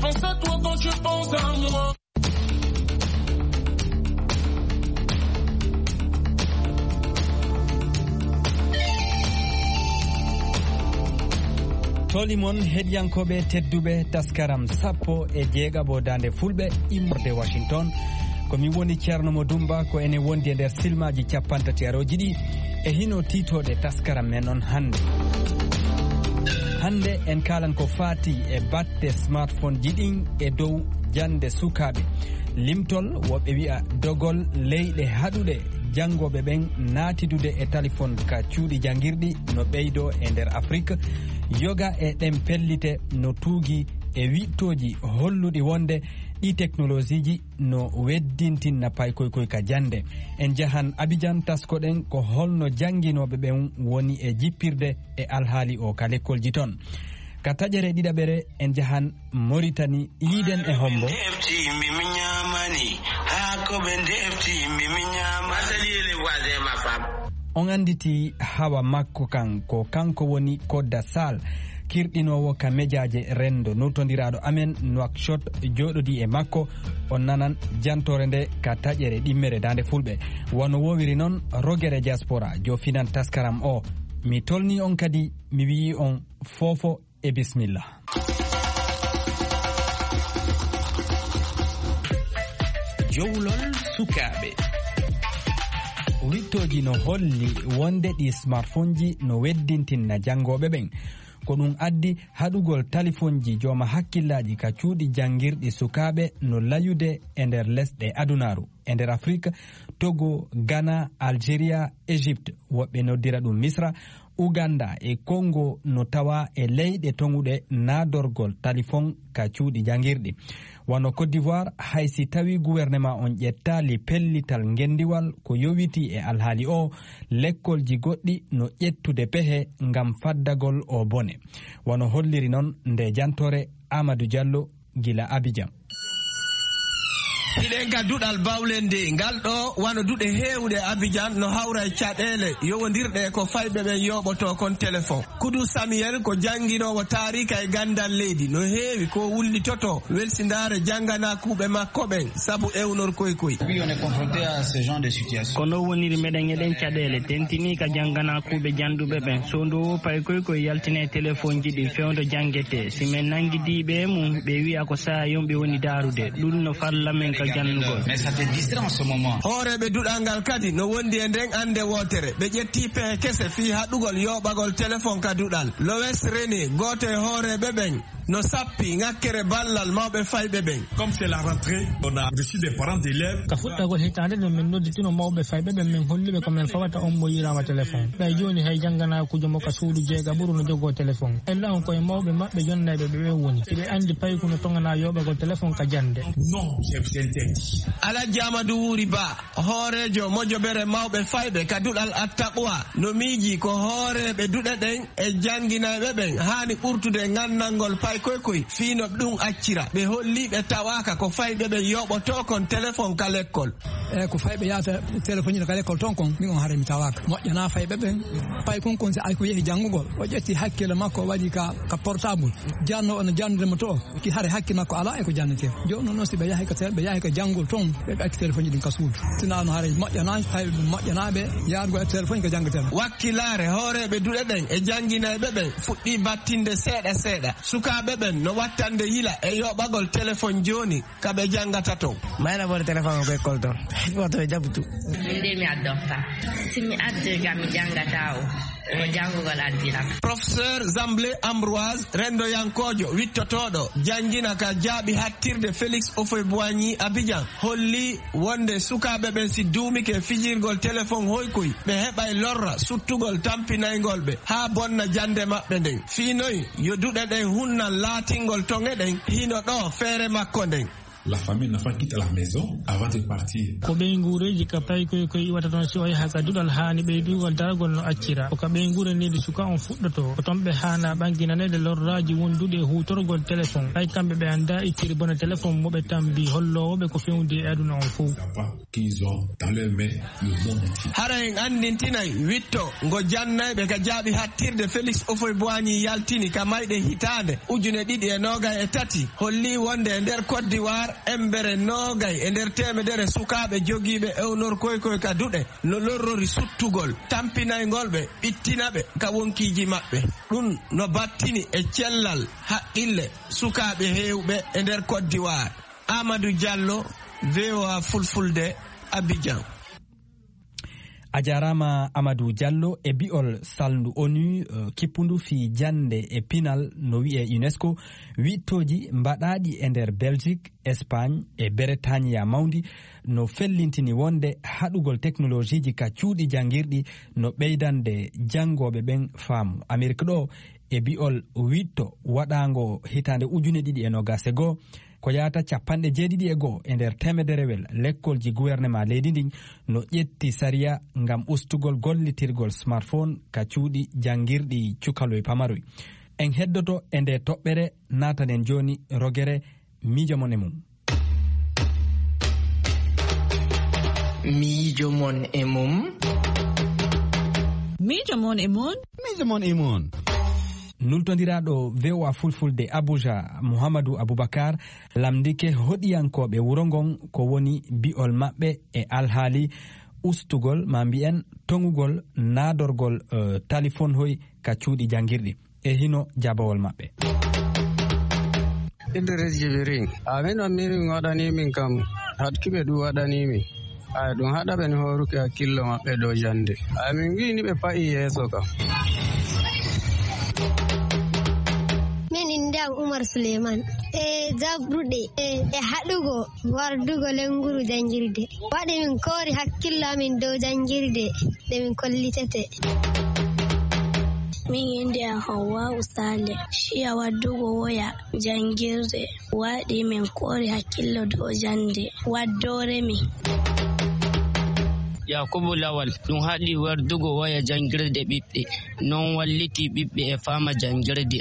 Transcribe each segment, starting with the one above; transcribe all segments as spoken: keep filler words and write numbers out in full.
Pense à toi quand je pense à moi. Toli mon heɗiyankooɓe tedduɓe, taskaram sappo e jeegaɓo Daande Fulɓe immorde Washington. Ko mi woni Ceerno Mo Dumba, ko ene wondi e nder silmaaji cappantati arooji ɗi e hino tiitooɗe taskaram men on hannde. Hannde en kaalan ko faati e batte smartphone ji ɗin e dow jannde sukaaɓe. Limtol, woɓɓe wi'a dogol leyɗe haɗuɗe janngooɓe ɓen naatidude e talifon ka cuuɗi janngirɗi no ɓeydoo e nder Afrik. Yoga e ɗen pellite no tuugi e wiɗtooji holluɗi wonde ɗi teknolosiiji no weddintinna paykoykoy ka jannde. En njahan Abijan, taskoɗen ko holno jannginooɓe ɓen woni e jippirde e alhaali o ka lekkolji ton. Ka taƴere ɗiɗaɓere, en njahan Moritani, yiiden e hombo. Defti yimɓe mi ñaamani, haa ko ɓe defti yimɓe mi ñaamani. Asali ele voisin ma femme. On annditi hawa makko kan, ko kanko woni Kodda Sall, kirɗinoowo ka mejaaje renndo, nultondiraaɗo amen Nouakchott, jooɗodii e makko. On nanan jantoore nde ka taƴere ɗimmere Daande Fulɓe. Wano woowiri non, rogere diaspora, jofinan taskaram o. Mi tolni on kadi, mi wi'i on foofo e bismillah. Jowlol sukaaɓe. Wiɗtooji no holli wonde ɗi smartphone ji no weddintinna janngooɓe ɓen. Ko ɗum addi haɗugol talifonji jooma hakkillaaji ka cuuɗi janngirɗi sukaaɓe no layude e nder lesɗe adunaaru. E nder Afrik, Togo, Ghana, Algeria, Égypte, woɓɓe noddira ɗum Misra, Uganda e Congo no tawa e leyɗe toŋuɗe naadorgol talifon ka cuuɗi janngirɗi. Wano Côte d'Ivoire, hay si tawi gouvernement on ƴettaali pellital ngendiwal ko yowiti e alhaali o, lekkolji goɗɗi no ƴettude pehe ngam faddagol o bone. Wano holliri non nde jantore Amadou Diallo gila Abidjan. Hiɗen ka duɗal bawlende ngal ɗo, wano duɗe heewuɗe Abidjan, no hawra e caɗeele yowondirɗe e ko fayɓe ɓen yooɓoto kon telefon. Kudu Samuel ko jannginoowo taarika e ganndal leydi, no heewi ko wullitoto welsindaare jannganakuuɓe makko ɓen sabu ewnorkoy koy. Oui, on est confronté à ce genre de situation. Ko no woniri, meɗen eɗen caɗeele tentini ka jannganakuuɓe jannduɓe ɓen. So ndu wo paykoy ko yaltine telefonji ɗi fewndo janngete. Si men nanngidiiɓe e mum, ɓe wi'a ko saaya yumɓe woni daarude. Ɗum no falla men ka janngugol. Mais ça fait dix ans en ce moment. Hooreeɓe duɗal ngal kadi no wondi e nden annde wootere. Ɓe ƴetti pehe kese fii haɗugol yooɓagol telefon ka duɗal. Lois René, gooto e hooreeɓe ɓen, no sappi ŋakkere ballal mawɓe fayɓe ɓen. Comme c'est la rentrée, on a reçu des parents d'élèves. Ka fuɗɗagol hitaande nden, min nodditino mawɓe fayɓe ɓen, min holli ɓe ko min fawata on mo yi'iraama telefon. Ɓay jooni hay jannganaakuujo mo ka suudu jeegaɓuru no jogoo telefon. Ella on koye mawɓe maɓɓe jonnayɓe ɓe ɓen woni. Hiɓe anndi payku no toŋanaa yooɓagol telefon ka jannde. Non, c'est, c'est interdit. Alhaji Amadou Wuri Ba, hooreejo mojobere mawɓe fayɓe ka duɗal Attaqwa, no miiji ko hooreeɓe duɗe ɗen e jannginayɓe ɓen haani ɓurtude nganndanngol paykoykoy fii no ɗum accira. Ɓe holli ɓe tawaaka ko fayɓe ɓen yooɓotoo kon telefon ka lekkol. E ko fayɓe yahata telefoñina ka lekkol ton kon, min on haray mi tawaaka. Moƴƴanaa fayɓe ɓen. Paykun kon si ay ko yehi janngugol, o ƴetti hakkille makko, o waɗi ka, ka portable. Janno on janndude mo to, ki hare hakke makko alaa e ko jannetee. Jooni noon, si ɓe yahi ka te-, ɓe yahi ka janngol toon, ɓe ɓe acci telefoñji ɗin ka suudu. Sinaa no haray moƴƴanaa, tawi ɗum moƴƴanaa ɓe yaarugol e telefoñ ko janngetee. Wakkilaare hooreeɓe duɗe ɗen e jannginayɓe ɓen fuɗɗii battinde seeɗa seeɗa. Sukaaɓe ɓen no wattande yila e yoɓagol telefoñ jooni ka ɓe janngata toon. Mayna bone téléphone ko école toon. Woto ɓe jaɓtu. Min de mi addorta. Si mi addirga mi janngata o. Ko janngugol addiram. Professeur Zamblé Ambroise, renndoyankoojo wittotooɗo, janngina ka jaaɓi hattirde Félix Houphouët-Boigny Abidjan, holli wonde sukaaɓe ɓen si duumike fijirgol telefoŋ hoykoy, ɓe heɓay lorra suttugol tampinayngol ɓe haa bonna jannde maɓɓe nden. Fii noy yo duɗe ɗen hunnan laatingol toŋe ɗen hino ɗoo feere makko nden. La famille n'enfant quitte la maison avant de partir. Ko ɓeynguureeji ka paykoy koy iwata toon si o yaha ka duɗal haani ɓeydugol daragol no accira. Ko ka ɓeynguure needi suka on fuɗɗoto. Ko toon ɓe haana ɓanginaneede lorraaji wonduɗi e huutorgol téléphone. Hay kamɓe ɓe anndaa ittiri bone téléphone mo ɓe tambi holloowo ɓe ko fewndi e aduna on fow. Qu'ils ont dans leur main le monde entier. Hara en anndintinay witto ngo jannayɓe ka jaaɓi hattirde Félix Houphouët-Boigny yaltini ka mayɗe hitaande ujune ɗiɗi e noogay e tati, holli wonde e nder Côte d'Ivoire, embere noogay e nder teemedere sukaaɓe jogiiɓe ewnorkoy koy ka duɗe no lorrori suttugol, tampinayngol ɓe, ɓittina ɓe ka wonkiiji maɓɓe. Ɗum no battini e cellal haqqille sukaaɓe heewɓe e nder Côte d'Ivoire. Amadou Diallo, V O A Fulfulde, Abidjan. A jaaraama Amadou Diallo. E bi'ol salndu onu, eh, kippundu fii jannde e pinal no wi'ee UNESCO, wiɗtooji mbaɗaaɗi e nder Belgique, Espagne e Bretagne mawndi no fellintini wonde haɗugol teknolojiiji ka cuuɗi janngirɗi no ɓeydande janngooɓe ɓen faamu. Amerik ɗoo, e bi'ol wiɗto waɗaango hitaande ujune ɗiɗi e noogaas e goo, ko yaata capanɗe jeeɗiɗi e goo e nder teemederewel lekkolji guwernemaa leydi ndin no ƴetti sariya ngam ustugol gollitirgol smartphone ka cuuɗi janngirɗi cukaloy pamaroy. En heddoto e nde toɓɓere, naatanen jooni rogere miijo mon e mum. Miijo mon e mum. Miijo mon e mum. Miijo mon e mum. Nultondiraaɗo V O A Fulfulde Abuja, Muhammadu Abubakar, lamndike hoɗiyankooɓe wuro ngon ko woni bi'ol maɓɓe e alhaali ustugol, maa mbi'en toŋugol naadorgol, eh, talifonhoy ka cuuɗi janngirɗi. E hino jaabawol maɓɓe. Idris Jibirin. Amin on miri min waɗani min kam, haɗki ɓe ɗum waɗani min. Ay, ɗum haɗa ɓe ni hooruki hakkillo maɓɓe dow jannde. Ay, min ngi'i ni ɓe pa'i yeeso kam. Min innde am Umar Suleiman. E jaɓruɗe, e, e haɗugo wardugo lennguru janngirde. Waɗi min koori hakkillo amin dow janngirde nde min kollitete. Min innde am Hawwa'u Sale. Ciya waddugo woya janngirde waɗi min koori hakkillo dow jannde waddoore mi. Yakubu Lawal, ɗum haɗi wardugo woya janngirde ɓiɓɓe. Non walliti ɓiɓɓe e faama janngirde.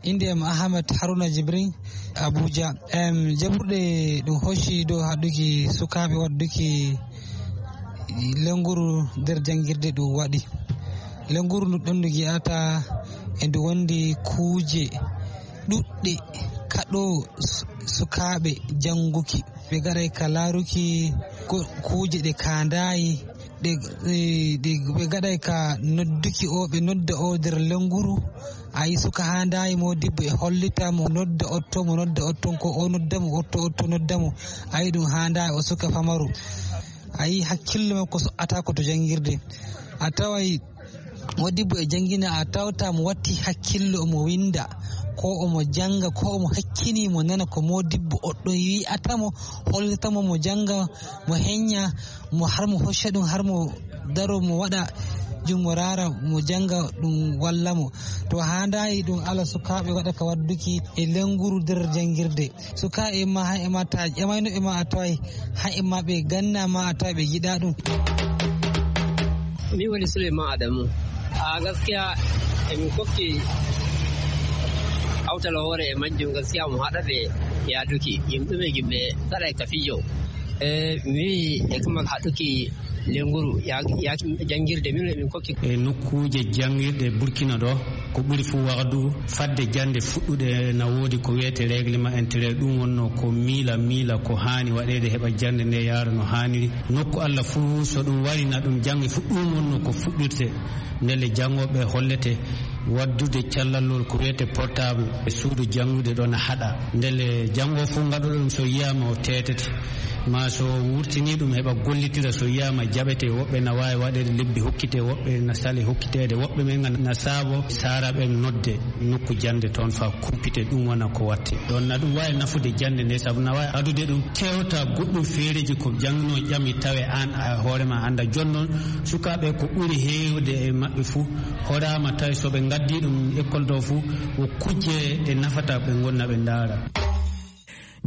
Innde am Ahmed Haruna Jibrin, Abuja. Em, jaɓruɗe ɗum hocci dow haɗuki sukaaɓe wadduki lennguru nder janngirde ɗum waɗi. Lennguru ndu ɗon ndu ngi'ata e ndu wondi kuuje ɗuɗɗe kaɗo su-, sukaaɓe jannguki. Ɓe gaɗay ka laaruki ko-, kuuje ɗe kaandaayi, ɗe, ɗe, ɗe ɓe gaɗay ka nodduki o, ɓe nodda o nder lennguru. A yi suka haandaayi mo dibbo e hollita mo nodda otto, mo nodda otton ko o nodda mo, otto, otto nodda mo. A yi ɗum haandaayi o suka famaru. A yi hakkillo makko so ata ko to janngirde. A taway modibbo e janngina, a tawta mo watti hakkillo, omo winnda, ko omo jannga, ko omo hakkini mo nana ko modibbo oɗɗo wi'ata mo, hollita mo, mo jannga, mo heñña, mo har mo hocca ɗum, har mo daro, mo waɗa jungo raara, mo jannga ɗum walla mo. To haandaayi ɗum ala sukaaɓe waɗa ka wadduki e lennguru nder janngirde. Sukaaɓe ma, hay e ma ta ƴamayno e ma a taway, hay e ma ɓe ganna ma a taway ɓe yiɗa ɗum. Min woni Souleymane Adamou. A gaskiya emin kokki awtal hoore e majjum, gaskiya mo haɗa ɓe yaaduki. Yimɓe ɓe yimɓe gaɗa e ka fijo. E mi wi'i e kuma haɗuki lennguru ya-, ya-, janngirde min emin kokki. E nokkuuje janngirɗe Burkina ɗo, ko ɓuri fuu wahdu fadde jannde fuɗɗude na woodi ko wiyete règlement intérieur. Ɗum wonno ko miila, miila ko haani waɗeede heɓa jannde nde yaara no haaniri. Nokku Allah fuu so ɗum wari na ɗum jannge fuu, ɗum wonno ko fuɗɗirte. Ndelle janngooɓe hollete waddude callallol ko wiyete portable e suudu janngude ɗo na haɗa. Ndelle janngo fuu ngaɗuɗo ɗum so yiyaama o teetete. Ma so wurtini ɗum heɓa gollitira, so yiyaama jaɓete, woɓɓe na waawi waɗeede lebbi hokkite, woɓɓe na sali hokkiteede, woɓɓe men na saabo saara ɓen nodde nokku jannde toon faa kumpite, ɗum wona ko watte. Ɗoon na ɗum waawi nafude jannde nde, sabu na waawi adude ɗum kewta goɗɗum feereeji ko jannginoo ƴami tawe aan a hoore ma annda. Jooni noon sukaaɓe ko ɓuri heewde e maɓɓe fuu horaama tawi so ɓe ngaddii ɗum école ɗo fuu ko kujje ɗe nafata ɓe ngonna ɓe ndaara.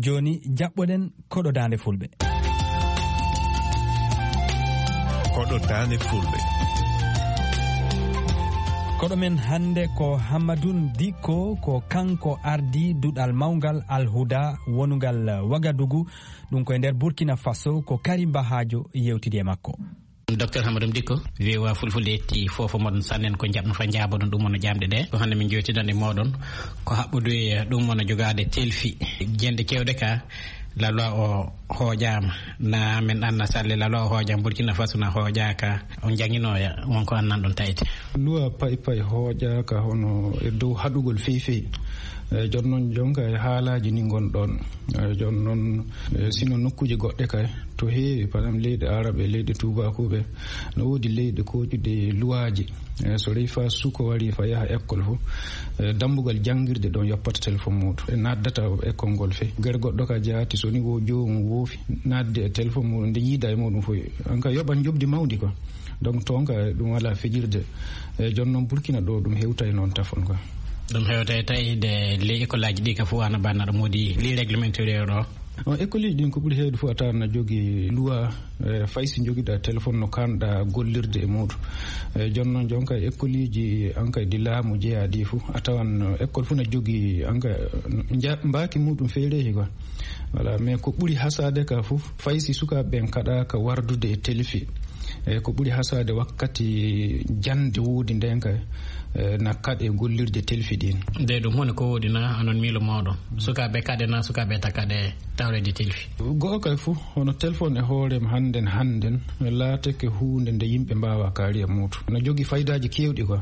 Jooni, jaɓɓoɗen koɗo Daande Fulɓe. Koɗo Daande Fulɓe. Koɗo men hannde ko Hammadoun Dikko, ko kanko ardii duɗal mawngal Al Huda wonungal Wagadugu, ɗum ko e nder Burkina Faso, ko Karim Bahajo yewtidi e makko. Docteur Hamadou Dikko, V O A Fulfulde yetti fof moɗon sannen ko njaɓno fa njaaboɗon ɗum wona jaamɗe ɗe. Ko hannde min jewtidan e mooɗon ko haɓɓude e ɗum wona jogaade telfi. Jende kewɗe ka, la loi o hooƴaama. Na min anna salle la loi o hooƴaama, Burkina Faso na hooƴaaka. On jannginooya, won ko annan ɗon tawete. Loi pay pay hooƴaaka hono e dow haɗugol fey fey. E, jooni noon, jonka e haalaaji ni ngon ɗon. E, jooni noon, e, sino nokkuuje goɗɗe kay, to heewi, par exemple, leyɗe Arab e leyɗe tuubaakuuɓe, no woodi leyɗe kooƴuɗe luwaaji. E, so rewi faa suko wari fa yaha école fof, e, dambugal janngirde ɗon yoppata téléphone muuɗum. E, naddata école ngol fey. Gere goɗɗo ka jaati, so ni wo joomum woofi, nadde e téléphone muuɗum, nde yiida e muuɗum fof. An ka yoɓan njoɓdi mawndi quoi. Donc, toon ka ɗum alaa fijirde. E, jooni noon Burkina ɗo ɗum hewtay noon tafon quoi. Ɗum hewtay tawi de ley école aji ɗi ka fof ana banna ɗo moodi ley réglementé ɗo. On école uji ɗin ko ɓuri heewde fof a tawan na jogii loi, e, fay si njogiɗa téléphone no kanɗa gollirde e muuɗum. E, jooni noon jonka école uji an kay ɗi laamu jeyaa ɗi fof a tawan, e, école fof na jogii an kay, e, nja-, mbaaki muuɗum feereehi quoi. Voilà, mais ko ɓuri hasaade ka fof, fay si sukaaɓe ɓen kaɗaaka wardude e telfi. E, ko ɓuri hasaade wakkati jannde woodi nden kay, e, na kaɗe gollirde telfi ɗin. Nde ɗum hone ko woodi na anon miilo mooɗon? Sukaaɓe kaɗe na sukaaɓe ta kaɗe tawreede telfi? Go'o kay fof, hono téléphone e hoore mum hannden, hannden, laatake huunde nde yimɓe mbaawa kaari e muuɗum. Na jogii faydaaji keewɗi quoi.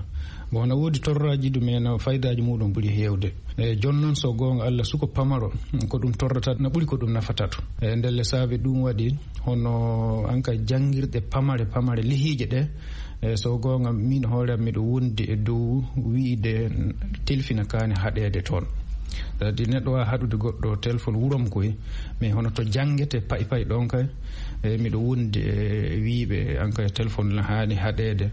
Bon, na woodi torraaji ɗum, mais na faydaaji muuɗum ɓuri heewde. E, jooni noon, so goonga Allah, suko pamaro, ko ɗum torrata, na ɓuri ko ɗum nafata ɗum. E, ndelle saabe ɗum waɗi, hono an ka janngirɗe pamare, pamare lihiiƴe ɗe, e, so goonga, min hoore am, miɗo wondi e dow wiide telfina kaani haɗeede toon. Kadi neɗɗo waawa haɗude goɗɗo téléphone wurom koy, mais hono to janngete pay pay ɗon kay, e, miɗo wondi e wiiɓe an kay téléphone na haani haɗeede.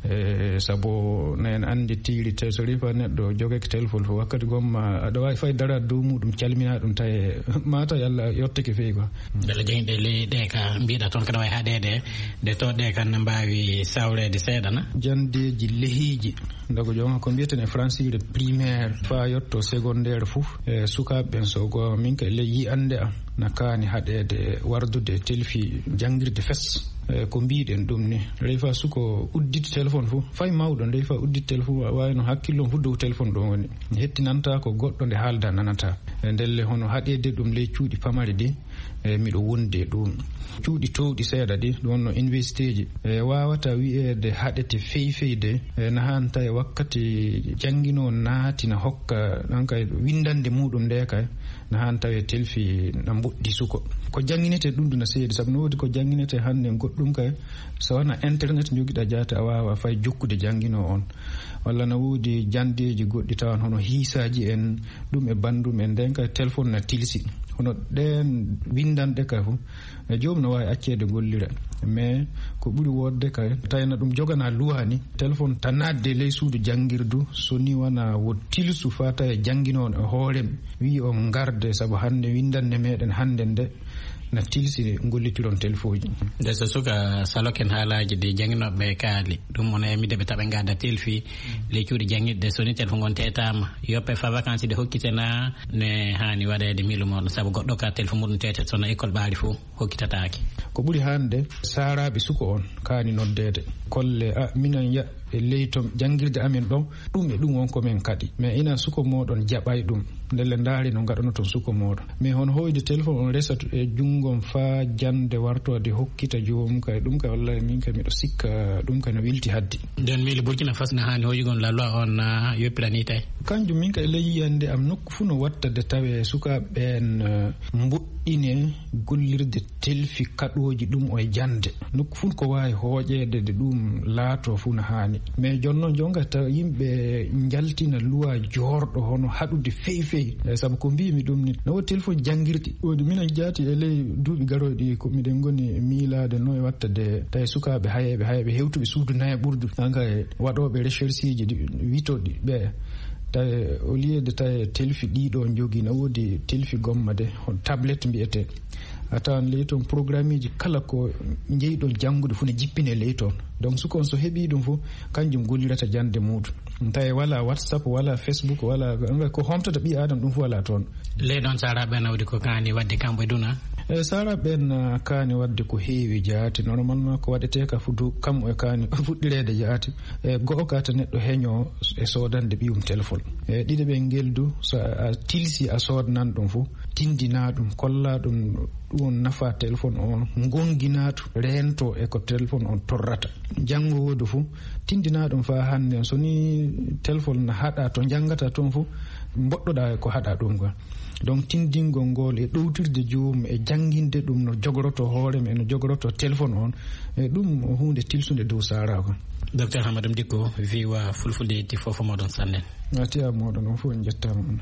E, sabu na en anndi tiiri te so rifa neɗɗo jogake téléphone fof wakkati gomma aɗa waawi fay daraade dow muɗum calmina ɗum tawi mata yalla yottake feyi quoi. Mbele jangɗe ley ɗe ka mbiɗa toon kaɗa wawi haɗede de to ɗe kan ne mbawi sawrede seeɗa na. Jandeji lehiiji. Ndogo jooma ko mbiyeten e francire primaire fa yetto secondaire fof e sukaɓe ɓen so goonga min kay ley yiyannde am na kaani haɗede wardude telfi janngirde fes. E ko mbiɗen ɗum ni, refa suko udditi téléphone fof, fay mawɗo nde refa udditi téléphone, wa-, wayno hakkillon fof dow téléphone ɗon woni. Hettinanta ko goɗɗo nde haalda nanata. E ndelle hono haɗede ɗum ley cuuɗi pamari ɗi, e miɗo wondi e ɗum. Cuuɗi towɗi seeɗa ɗi, ɗum wonno université ji. E wawata wi'ede haɗete fey fey de, e na hanta e wakkati janngino naati na hokka, ɗon kay windande muɗum nde kay, na han tawe telfi na mboɗɗi suko. Ko jannginete ɗum ɗum na seedi, sabu no woodi ko jannginete hannde goɗɗum kay, so wona internet njogiɗa jaate a waawa fay jokkude janngino on. Walla na woodi janndeeji goɗɗi tawan hono hiisaaji en, ɗum e banndum en, nden kay téléphone na tilsi. Hono ɗeen winndanɗe kay fof, e joom no waawi acceede gollira. Mais ko ɓuri woodde kay, tawna ɗum jogana luwaani, téléphone tan naatde ley suudu janngirdu, so ni wona wo tilsu faa tawa e jannginooɗo e hoore mum. Wi'i on ngarde, sabu hannde winndannde meɗen hannde nde na tilsi gollitiron telfooji. Nde so suka saloken haalaaji ɗi jannginooɓe kaali, ɗum wona e midde ɓe taɓa ngadda telfi, ley cuuɗi jannginɗe, so ni telfo ngon teetaama, yoppe fa vacances ɗe hokkite na ne haani waɗeede miilu mooɗon, sabu goɗɗo ka telfo muɗum teete so no école ɓaari fof hokkitataake. Ko ɓuri hannde, saaraaɓe suko on kaani noddeede. Kolle, a, minen ya, e ley to janngirde amen ɗon, ɗum e ɗum won ko men kaɗi. Mais ina suko mooɗon jaɓay ɗum. Ndelle ndaari no ngaɗano ton suko mooɗon. Mais hono hoyde téléphone on resat e junngo on faa jannde wartoode hokkita joomum kay, ɗum kay wallahi min kay miɗo sikka ɗum kay no wilti haddi. Nden miili Burkina Faso na haani hoyugol la loi on na yoppirani tawi. Kanjum min kay ley yiyannde am nokku fuu no watta de tawe sukaaɓe ɓeen, eh, mboɗɗine gollirde telfi kaɗooji ɗum o e jannde. Nokku fuu ko waawi hooƴeede de ɗum laato fuu no haani. Mais jooni noon jonga tawa yimɓe njaltina luwa joorɗo hono haɗude fey fey. Eh, sabu ko mbiimi ɗum ni, no woodi téléphone janngirɗi. Woodi minen jaati e ley duuɓi garooɗi ko miɗen ngoni miilaade no e watta de tawi sukaaɓe hayeeɓe, hayeeɓe hewtuɓe suudu nayaɓurdu. An kay waɗooɓe recherche ji ɗi witoɗi ɓe. Tawi au lieu de tawi telfi ɗiɗo jogii, na woodi telfi gomma de, on tablet mbiyetee. A tawan ley toon programmeeji kala ko njeyɗon janngude fof ne jippine ley toon. Donc, suka on so heɓii ɗum fof, kanjum gollirata jannde muuɗum. Tawi wala WhatsApp, wala Facebook, wala ko homtata ɓii Aadama, ɗum fof wala toon. Ley ɗoon, Saaraaɓe nawdi ko kaani waɗde kamɓe duna? E Saaraaɓe ɓeen, ah, kaani waɗde ko heewi jaati. Normalement, ko waɗetee ka fudu kam e kaani fuɗɗireede jaati. E go'o ka ta neɗɗo heño e soodande ɓiyum téléphone. E ɗiɗo ɓe ngel du, so a tilsi a soodnan ɗum fof, tindina ɗum, kolla ɗum, ɗum on nafa téléphone on, ngongina ɗum, reento e ko téléphone on torrata. Janngo woodu fof, tindina ɗum faa hannde. So ni téléphone na haɗa to njanngata toon fof, mboɗɗoɗa e ko haɗa ɗum ga. Donc, tindingol ngol e ɗowtirde joomum e jannginde ɗum no jogoroto hoore mum e no jogoroto téléphone on, e ɗum ko huunde tilsunde dow Saaraaɓe. Docteur Hamadou Dicko, V O A Fulfulde yetti fof moɗon sannen. A tiya moɗon on fof, en njettaama on.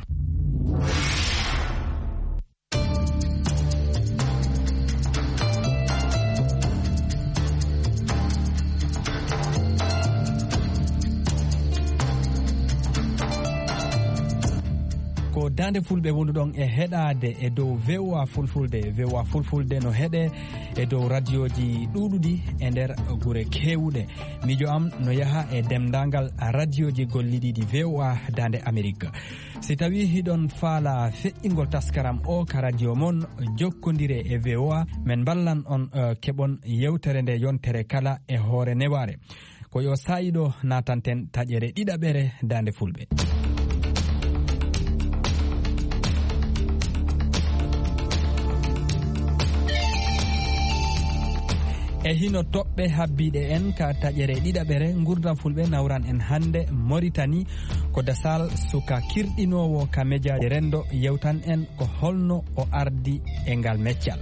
Ko Daande Fulɓe wonduɗon e heɗaade e dow V O A Fulfulde. V O A Fulfulde no heɗe e dow radioji ɗuuɗuɗi e nder gure keewuɗe. Miijo am no yaha e dendaangal radioji gollidiiɗi V O A Daande Amerik. Si tawii hiɗon faala feƴƴingol taskaram o ka radio mon, jokkondire e V O A, men mballan on, eh, keɓon yewtere nde yontere kala e hoore newaare. Ko yo saa'i ɗo naatanten taƴere ɗiɗaɓere Daande Fulɓe. E hino toɓɓe habbiiɗe en ka taƴere ɗiɗaɓere, Ngurndan Fulɓe nawran en hannde Moritani, ko Dasal, suka kirɗinoowo ka mejaaji renndo, yewtan en ko holno o ardi e ngal meccal.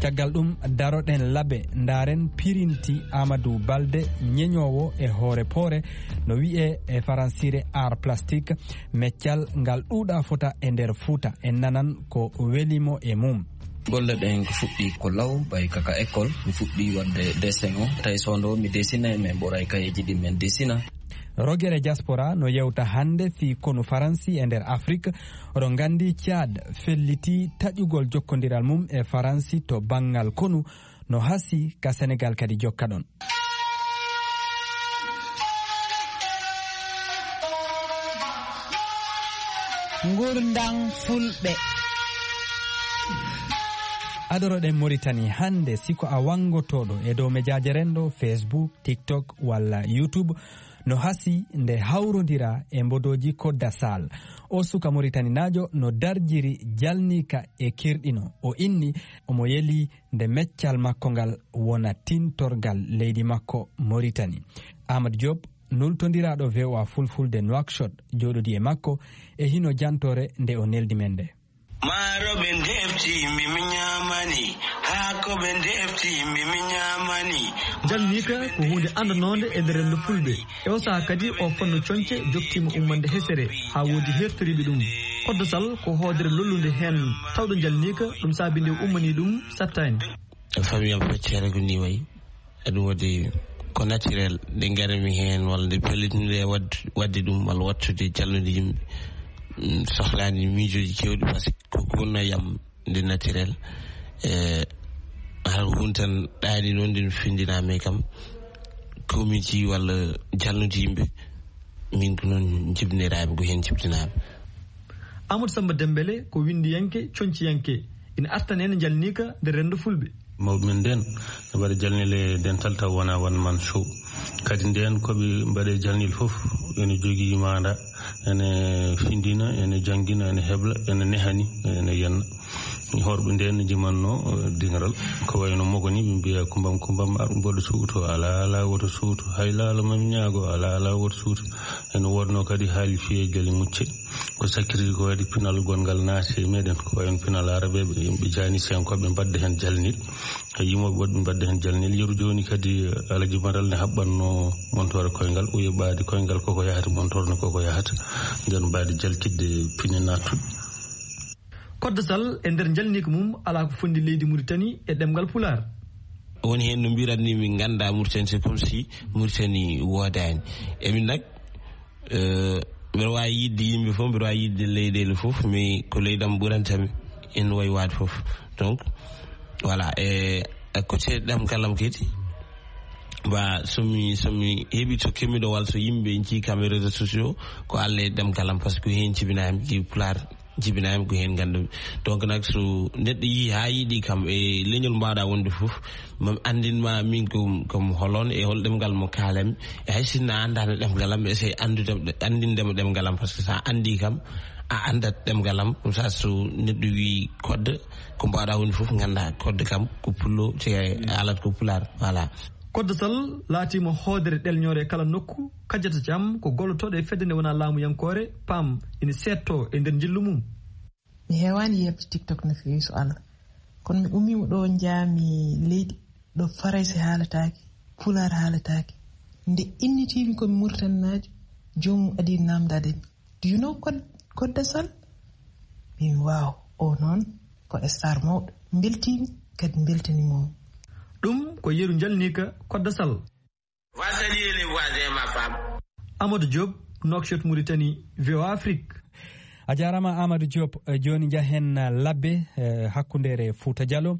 Caggal ɗum, daroɗen labe, ndaaren pirinti Amadou Balde, ñeñoowo e hoore poore, no wi'ee e faransiire art plastique, meccal ngal ɗuuɗaa fota e nder Fuuta. En nanan ko weli mo e mum. Golle ɗen ko fuɗɗi ko law, ɓay kaka école, mi fuɗɗi waɗde dessin o. Tawi so ndo mi dessinay, min ɓuray kayeeji ɗi min dessina. Rogere Diaspora no yewta hannde fii konu Faransi e nder Afrik. Oɗon nganndi Tchad felliti taƴugol jokkondiral mum e Faransi to banngal konu, no hasii ka Senegal kadi jokka ɗon. Ngurndan Fulɓe. Adoroɗen Moritani hannde, si ko a wanngotooɗo e dow mejaaje renndo, Facebook, TikTok walla YouTube, no hasii nde hawrondira e mbodooji Kodda Sal. O suka Moritaninaajo no darjiri jalniika e kirɗino. O inni omo yelii nde meccal makko ngal wona tintorgal leydi makko Moritani. Amadou Diop, nultondiraaɗo V O A Fulfulde Nouakchott, jooɗodii e makko, e hino jantoore nde o neldi men nde. Maaro ɓe ndefti, mi mi ñaamani. Haako ɓe ndefti, mi mi ñaamani. Jalniika ko huunde anndanoonde e nder renndo Fulɓe. E o sahaa kadi, o fannu coñce joktiima ummande hesere, haa woodi heertoriiɓe ɗum. Kodda Sal ko hoodere lollunde heen, tawɗo jalniika, ɗum saabi nde ummanii ɗum sattaani. Famille am feccere ko nii wayi. Eɗum waɗi ko naturel, nde ngarmi heen, walla nde pellitinmi e waɗ-, waɗde ɗum, walla wattude jalnude yimɓe. Mm, sohlaani miijooji keewɗi, parce que ko gonno yam nde naturel. E, hara ko hunde tan ɗaani noon, nde mi findinaami kam, komiiji walla jalnude yimɓe, min ko noon jibiniraaɓe, ko heen jibinaaɓe. Amadou Samba Dembele ko winndiyanke, coñciyanke. Ina artana en jalniika nder renndo Fulɓe. Mawɓe men nden, ɓe mbaɗa jalnile dental taw wona one man show. Kadi nden ko ɓe mbaɗe jalnil fof, ene jogii maanda, ene findina, ene janngina, ene hebla, ene nehani, ene yenna. Horɓe nden ne jimanno, eh, diŋral. Ko wayno Mogoni, ɓe mbiya kumbam, kumbam, ar mboɗo suuto, ala, ala woto suuto. Hay laalo mami ñaago, ala, ala woto suuto. Ene wonno kadi haali fiyee jali mucce. Ko sakkiti ko waɗi pinal gonngal naati e meɗen, ko wayen pinal arabeɓe, yimɓe jaani senkoɓe mbadde heen jalnil. E yimooɓe woɗɓe mbadde heen jalnil. Yeru jooni kadi, eh, Alaji Maral ne haɓɓanno montoore koyngal, uye ɓaadi koyngal koko yahata, montoore ne koko yahata. Nden mbaadi jalkitde pine nattuɗe. Kodda Sal e nder jalniika mum alaa ko fondi leydi Muritani e ɗemngal Pulaar. Woni heen no mbiratni min nganndaa Muritani, c'est comme si Muritani woodaani. E min nak, eh, Mbiɗa waawi yiɗde yimɓe fof, mbiɗa waawi yiɗde leyɗeele fof, mais ko leydi am ɓuranta mi, ene wayi waade fof. Donc, voilà, e, e côté ɗemngal am kadi, ba, so mi, so mi heɓi to keɓmiɗo walla so yimɓe njii kam e réseaux sociaux, ko Alla e ɗemngal am, par ce que heen jibinaa mi, ɗi Pulaar jibinaa mi, ko heen nganndu-mi. Donc, nak, so neɗɗo yii haa yiɗi kam e leñol mbaawɗa wonde fof, mami anndin ma min ko, ko mi holon e hol ɗemngal mo kaalan mi. E hay sinno a anndaano ɗemngal am, essaye anndude, anndinde mo ɗemngal am, par ce que so a anndii kam, a anndat ɗemngal am. Ɗum sa so neɗɗo wii code, ko mbaawɗa woni fof, ngannda code kam ko pullo, te a haalat ko pulaar. Voilà. Koddo Sall laatiima hoodere ɗelñoore e kala nokku, kajjata jam ko gollotooɗo e fedde nde wonaa laamuyankoore, pam, ina seedtoo e nder njillu mum. Mi heewaani yeeɓde TikTok no feewi so Allah. Kono mi ummiima ɗo njaami leydi, ɗo Farayse haalataake, Pulaar haalataake. Nde innitiimi ko mi Muritaninaajo, joomum adii naamndaade mi. "Do you know Kod-, Kodda Sall?" Mbimi, "Waaw, o noon ko star mawɗo." Mbeltiimi, kadi mbeltaniima mo. Ɗum ko yeru njalniika Kodda Sall. Va saluer les voisins, ma femme. Amadou Diop, Nouakchott, Mauritanie, V O A Afrique. A jaaraama, Amadou Diop. Eh, jooni njahen, eh, labbe, eh, hakkundeere Fuuta Jaloo.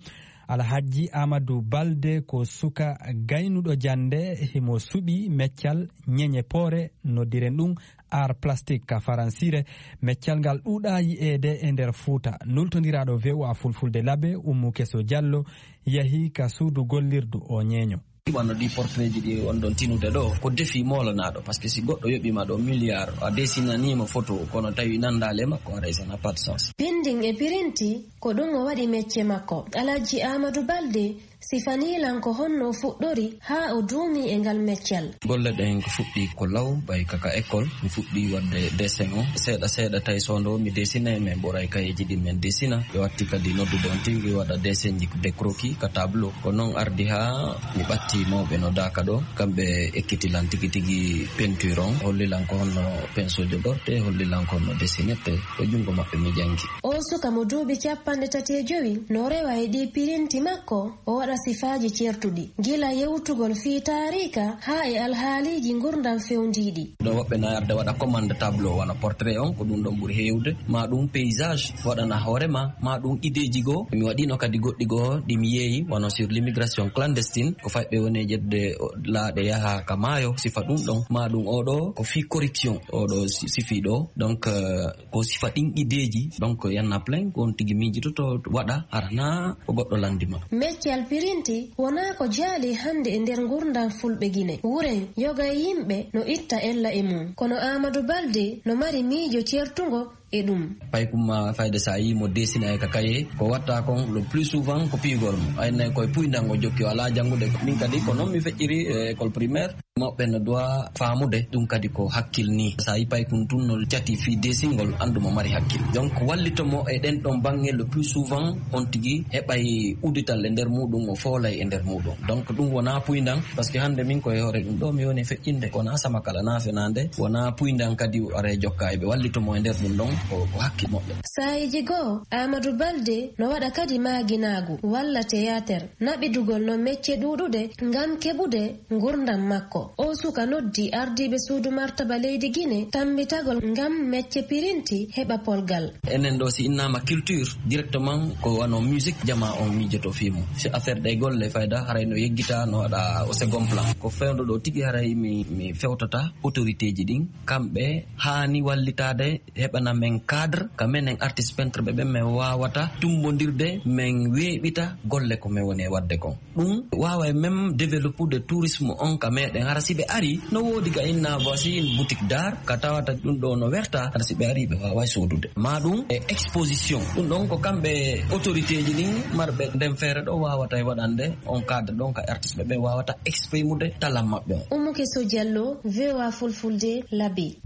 Alhajji Amadou Balde ko suka gaynuɗo jannde, himo suɓi meccal ñeñe poore, noddiren ɗum art plastique ka faransiire. Meccal ngal ɗuuɗaa yi'eede e nder Fuuta. Nultondiraaɗo V O A Fulfulde labbe, Ummu Keso Jallo, yahi ka suudu gollirdu o ñeeño. Wano ɗi portrait ji ɗi on ɗon tinude ɗo, ko défi moolanaaɗo, parce que si goɗɗo yoɓiima ɗo milliard, a dessinaniima photo, kono tawi nanndaali e makko, haray ça n'a pas de sens. Binding e pirinti, ko ɗum o waɗi mecce makko. Alhaji Amadou Balde sifanii lan ko honno o fuɗɗori haa o duumii e ngal meccal. Golle ɗen ko fuɗɗi ko law, ɓay kaka école, mi fuɗɗi waɗde dessin o. Seeɗa seeɗa tawi so ndo mi dessinay, min ɓuray kayeeji ɗi min dessina. Ɓe watti kadi noddude on tigi waɗa dessin ji, des croquis ka tableau. Ko noon ardi haa mi ɓatti mawɓe no Daaka ɗo, kamɓe ekkiti lan tigi tigi peinture on, holli lan ko honno pinceau joɗorte, holli lan ko honno dessinirte. Ko junngo maɓɓe mi janngi. O suka mo duuɓi capanɗe tati e jowi no rewa e ɗi pirinti makko, o waɗa sifaaji ceertuɗi, gila yewtugol fii taariika haa e alhaaliiji ngurndan fewndiiɗi. Ɗo woɓɓe na arde waɗa commande tableau, wano portrait on, ko ɗum ɗon ɓuri heewde, maa ɗum paysage, waɗana hoore ma, maa ɗum ideeji goo. Mi waɗino kadi goɗɗi goo ɗi mi yeeyi, wano sur l'immigration clandestine, ko fayɓe woni e ƴettude o, laaɗe yaha ka maayo, sifa ɗum ɗon, maa ɗum oɗo ko fii corruption, oɗo si-, sifi ɗo. Donc, euh, ko sifa ɗin ideeji, donc, y en a plein, ko on tigi miijototo waɗa, hara na ko goɗɗo lanndi ma. Meccal pirinti wonaa ko jaali hannde e nder ngurndan Fulɓe Gine. Wuren, yoga e yimɓe no itta ella e mum. Kono Amadou Balde no mari miijo ceertungo e ɗum. Paykum ma fayde sa yii mo dessina e ka kaye, ko watta kon le plus souvent ko piigol mo. Ay nay koye puyndan o jokki, o alaa janngude. Min kadi ko noon mi feƴƴiri e école primaire. Mawɓe no doit faamude ɗum kadi ko hakkil ni. Sa yi paykun tun no jati fii desingol, anndu mo mari hakkil. Donc, wallito mo e ɗen ɗon baŋŋe le plus souvent, on tigi heɓay uddital e nder muɗum, o foolay e nder muɗum. Donc, ɗum wonaa puyndan, parce que hannde min ko e hoore ɗum ɗo mi woni feƴƴinde, ko wonaa sama kala naa fenaande, wonaa puyndan kadi o ara e jokka e ɓe wallito mo e nder ɗum ɗon, ko, ko hakkil moƴƴo. Saayiiji goo, Amadou Balde no waɗa kadi maaginaagu walla théâtre. Naɓidugol no mecce ɗuuɗude ngam keɓude ngurndan makko. O suka noddi ardiiɓe suudu martaba leydi Gine tammbitagol ngam mecce pirinti heɓa polgal. Enen ɗo si innaama culture, directement ko wano musique jama on miijoto fii mum. Si affaire ɗe golle fayda haray no yeggita, no waɗa au second plan. Ko fewndo ɗo tigi haray mi, mi fewtata autorité ji ɗin, kamɓe haani wallitaade heɓana men cadre, ka menen artiste peintre ɓe ɓen, men waawata tummbondirde, men weeɓita golle ko men woni e waɗde kon. Ɗum waaway même développude tourisme on ka meɗen. Hara si ɓe ari, no woodi ga inna voici une boutique d'art, ka tawata ɗum ɗo no werta, hara si ɓe ari, ɓe waaway soodude. Ma ɗum e exposition. Ɗum ɗon ko kamɓe autorité ji ɗin marɓe nden feere ɗo waawata e waɗande on cadre ɗon ka artiste ɓe ɓen waawata exprimude talan maɓɓe on. Oumou Kesso Diallo, V O A Fulfulde, Labe.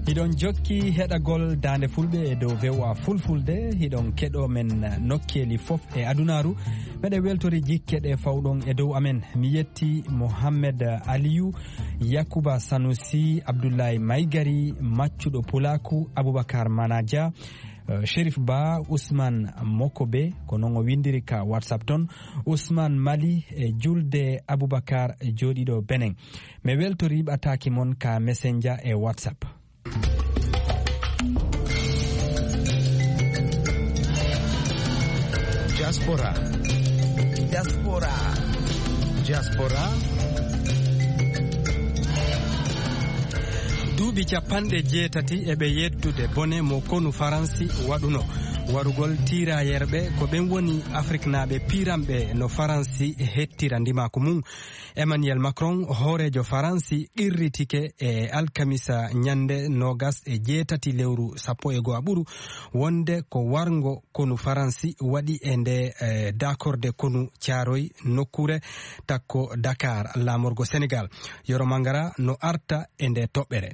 Hiɗon jokki heɗagol Daande Fulɓe e dow V O A Fulfulde, hiɗon keɗo men nokkeeli fof e adunaaru. Meɗen weltori jikke ɗe fawɗon e dow amen. Mi yetti Mohammed Aliyu, Yakuba Sanusi, Abdullahi Maygari, maccuɗo Pulaaku, Abubakar Manaja, Eh, Sherif Ba, Ousmane Mokobe, ko noon o winndiri ka WhatsApp toon. Ousmane Mali e Julde Aboubacar jooɗiiɗo Benin. Mi weltorii ɓataaki mon ka Messenger e WhatsApp. Diaspora. Diaspora. Diaspora. Duuɓi capanɗe jeetati e ɓe yeddude bone mo konu Faransi waɗuno. Warugol tiirayerɓe ko ɓen woni Afriknaaɓe piiranɓe no Faransi hettira ndimaaku mum. Emmanuel Macron, hooreejo Faransi, qirritike e alkamisa ñannde noogas e jeetati lewru sappo e go'aɓuru wonde ko warngo konu Faransi waɗi e nde, eh, daakorde konu Caaroy nokkuure takko Dakar, laamorgo Senegal. Yoro Mangara no arta e nde toɓɓere.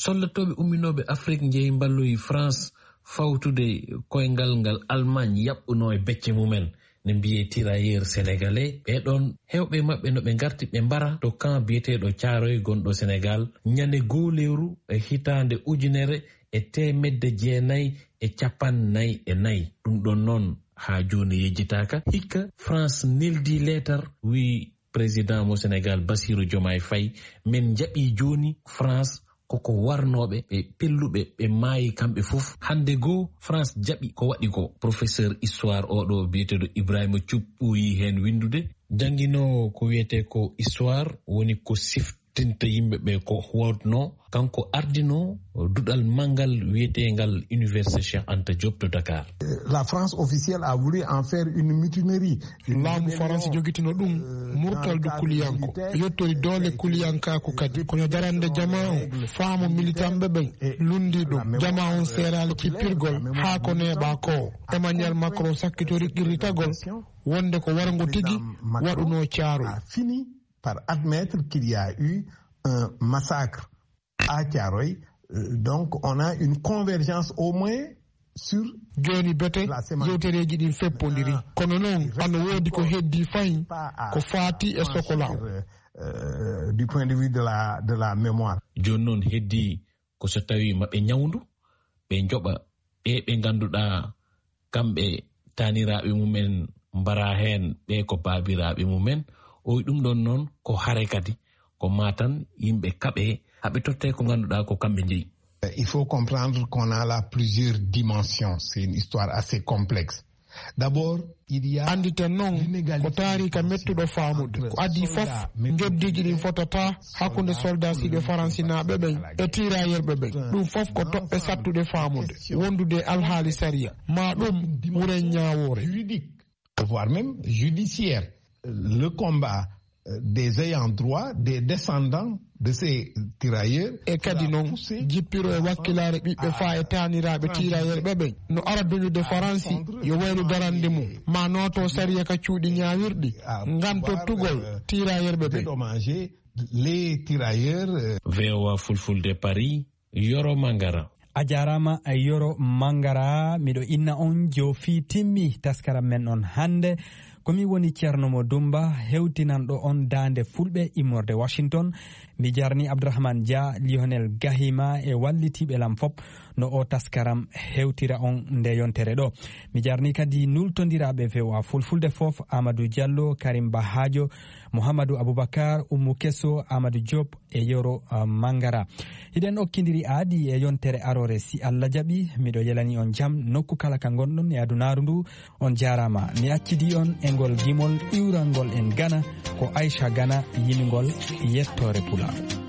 Soldatooɓe umminooɓe Afrik njehi mballoyi France fawtude koyngal ngal Allemagne yaɓɓunoo e becce mumen, ne mbiyee tirailleurs sénégalais. Ɓee ɗoon, heewɓe maɓɓe no ɓe ngarti ɓe mbara to camp biyeteeɗo Caaroy gonɗo Senegal, ñande goo lewru e hitaande ujunere e teemedde jeenayi e cappanɗe nayi e nayi. Ɗum ɗoon noon haa jooni yejjitaaka. Hikka France neldi leetar, wiyi président mo Senegal Bassirou Diomaye Faye, men njaɓii jooni France koko warnooɓe ɓe pelluɓe ɓe maayi kamɓe fof. Hannde goo France jaɓi ko waɗi ko. Professeur histoire oɗo biyeteeɗo Ibrahima Thioub ɓooyi heen winndude. Jannginoowo ko wiyetee ko histoire woni ko siftinta yimɓe ɓe ko wodno. Kanko ardinoo duɗal manngal wiyeteengal Université Cheikh Anta Diop to Dakar. La France officielle a voulu en faire une mutinerie. Laamu Faransi jogitino ɗum murtaldu kuliyanko. Yottori doole kuliyankaaku kadi. Kono darande jamaa on, faamu militanɓe ɓen lundi ɗum. Jamaa on seeraali kippirgol haa ko neeɓaa ko. Emmanuel Macron sakkitori qirritagol wonde ko warngo tigi waɗunoo Caaroy. A fini par admettre qu'il y a eu un massacre à Thiaroye. Euh, donc, on a une convergence au moins sur. Jooni bete, yewtereeji ɗin feppondiri. Kono noon, ano woodi ko heddii fahin ko faati e Sokola. Euh, du point de vue de la, de la mémoire. Jooni noon heddii ko so tawii maɓe ñawndu, ɓe njoɓa ɓe ɓe ngannduɗaa kamɓe taaniraaɓe mumen mbara heen, ɓe ko baabiraaɓe mumen. O wi ɗum ɗoon noon ko hare kadi, ko maa tan yimɓe kaɓe, haɓe tottee ko ngannduɗaa ko kamɓe njeyi. Il faut comprendre qu'on a là plusieurs dimensions. C'est une histoire assez complexe. D'abord, il y a. Annditen noon ko taariika mettuɗo faamude. Ko adii fof, njoddiiji ɗin fotataa hakkunde soldaasiiɓe faransinaaɓe ɓen e tiirayerɓe ɓen. Ɗum fof ko toɓɓe sattuɗe faamude, wondude e alhaali sariya. Maa ɗum wuren ñaawoore. Juridique, voire même judiciaire. Le combat, euh, des ayants droit, des descendants de ces tirailleurs. E kadi noon, jippiro e wakkilaare ɓiɓɓe faa e taaniraaɓe tiirayerɓe ɓen no ara duñude Faransi yo waylu darande mum, maa nooto sariya ka cuuɗi ñaawirɗi, ngam tottugol tiirayerɓe ɓen. Dédommager les tirailleurs, euh. V O A Fulfulde Paris, Yoro Mangara. A jaaraama, Yoro Mangara. Miɗo inna on jo fii timmi taskaram men on hannde. Ko mi woni Ceerno Mo Dumba, hewtinanɗo on daande Fulɓe immorde Washington. Mi jarni Abdourahmane Dia, Lionel Gahima e wallitiiɓe lam fop no o taskaram hewtira on nde yontere ɗo. Mi jarni kadi nultondiraaɓe V O A Fulfulde fof, Amadou Diallo, Karim Bahajo, Mouhamadou Aboubacar, Oumou Kesso, Amadou Diop, e Yoro, uh, Mangara. Hiɗen okkindiri aadi e yontere aroore, si Allah jaɓi. Miɗo yelani on jam nokku kala ka ngonɗon e adunaaru ndu. On jaaraama. Mi accidi on e ngol gimol iwrangol en Gana. Ko Aisha Gana yimingol yettoore Pulaar.